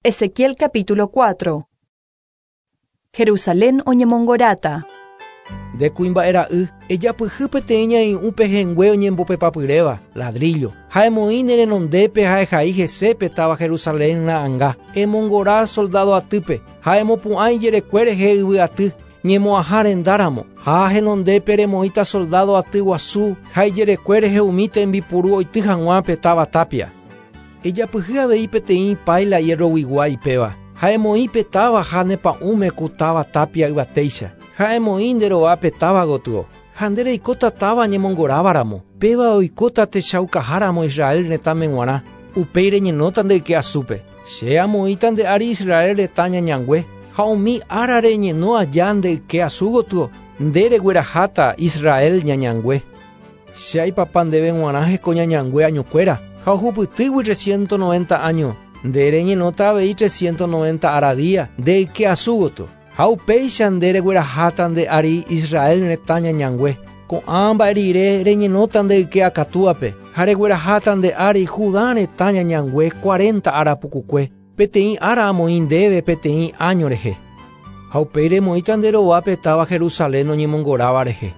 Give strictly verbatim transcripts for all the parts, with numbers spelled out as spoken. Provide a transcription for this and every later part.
Ezequiel capítulo cuatro. Jerusalén oñemongorata. Nde kuimba'e ra'y, ejapyhy peteĩ ñai'ũ pehẽngue oñembopepapyréva, ladrillo. Ha emoĩ ne renondépe ha ehai hesépe táva Jerusalén ra'ãnga. Emongora soldado atýpe, ha emopu'ã ijerekue rehe yvy aty, ñemo'ãha rendáramo. Ha henondépe remoĩta soldado aty guasu ha ijerekue rehe umi tembipuru oity hag̃ua pe táva tapia. Ejapyhy avei peteĩ paila hierroguigua ipéva. Ha emoĩ pe táva ha ne pa'ũme ku táva tapia yvatéicha. Ha emoĩ nde rova pe táva gotyo. Ha nde reikóta táva ñemongorávaramo. Péva oikóta techaukaháramo Israel retãme g̃uarã. Upéi reñenóta nde yke asúpe. Che amoĩta nde ári Israel retã ñañangue. Ha umi ára reñeno aja nde yke asu gotyo, nde regueraháta Israel ñañangue. Che aipapa ndéve g̃uarã heko ñañangue añokuéra. Ha ohupytýgui trescientos noventa año, nde reñenóta avei trescientos noventa ára día nde yke asu gotyo. Ha upéicha nde regueraháta nde ári Israel retã ñañangue. Ko'ã mba'e rire reñenóta nde yke akatúape, ha regueraháta nde ári Judá retã ñañangue cuarenta ára pukukue, peteĩ ára amoĩ ndéve peteĩ año rehe. Ha upéi remoĩta nde rovápe táva Jerusalén oñemongoráva rehe.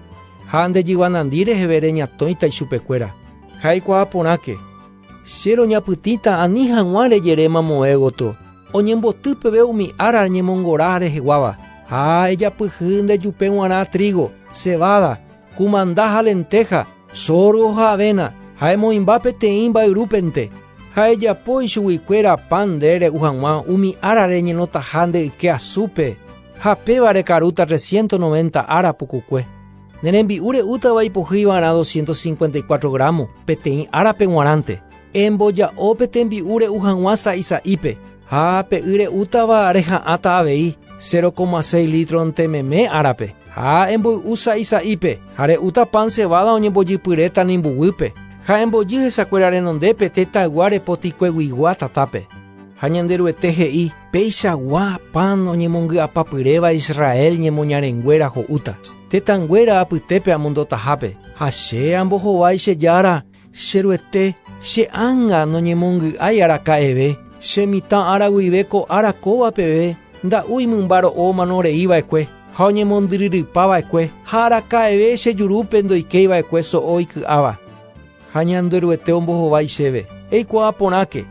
Ha nde jyvanandi reheve reñatõita ichupekuéra. Ha eikuaa porãke. Che roñapytĩta ani hag̃ua rejere mamove gotyo, oñemboty peve umi ára ñemongora reheguáva. Ha ejapyhy ndejupe g̃uarã trigo, cebada, kumanda ha lenteja, sorgo ha avena, ha emoĩmba peteĩ mba'yrúpente. Ha ejapo ichuguikuéra pan nde re'u hag̃ua umi ára reñenotaha nde yke asúpe, ha péva rekarúta trescientos noventa ára pukukue. Ne rembi'u re'útava ipohýivarã doscientos cincuenta y cuatro gramo peteĩ árape g̃uarãnte. Emboja'o pe tembi'u re'u hag̃ua sa'isa'ípe, ha pe y re'útava reha'ãta avei cero coma seis litronte meme árape. Ha emboy'u sa'isa'ípe, ha re'úta pan cebada oñembojypyréta nimbuguýpe, ha embojy hesakuéra renondépe tetãygua repotikueguigua tatápe. Ha Ñanderuete he'i, peichagua pan oñemongy'apapyréva Israel ñemoñarenguéra ho'úta. Tetãnguéra apytépe amondotahápe, ha che ambohovái che jára, che ruete, che ánga noñemongy'ái araka'eve, che mitã ára guive ko ára kóva peve, nda'úi mymba ro'o manoreiva'ekue, ha oñemondyryrypava'ekue, ha araka'eve che jurúpe ndoikéiva'ekue so'o iky'áva. Ha Ñanderuete ombohovái chéve, eikuaa porãke,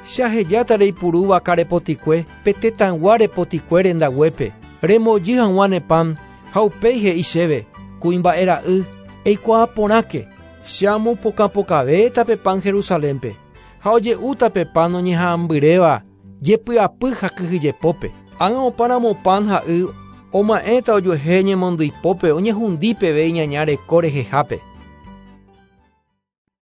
che ahejáta reipurúva karepotikue, pe tetãygua repotikue rendaguépe, remojy hag̃ua ne pan, ha upéi he'i chéve, kuimba'e ra'y, eikuaa porãke, che amopokãpokavéta pe pan Jerusalénpe, ha oje'úta pe pan oñeha'ãmbyréva, jepy'apy ha kyhyjepópe. Ág̃a opáramo pan ha y, oma'ẽta ojuehe ñemondyipópe oñehundi peve iñaña reko rehehápe.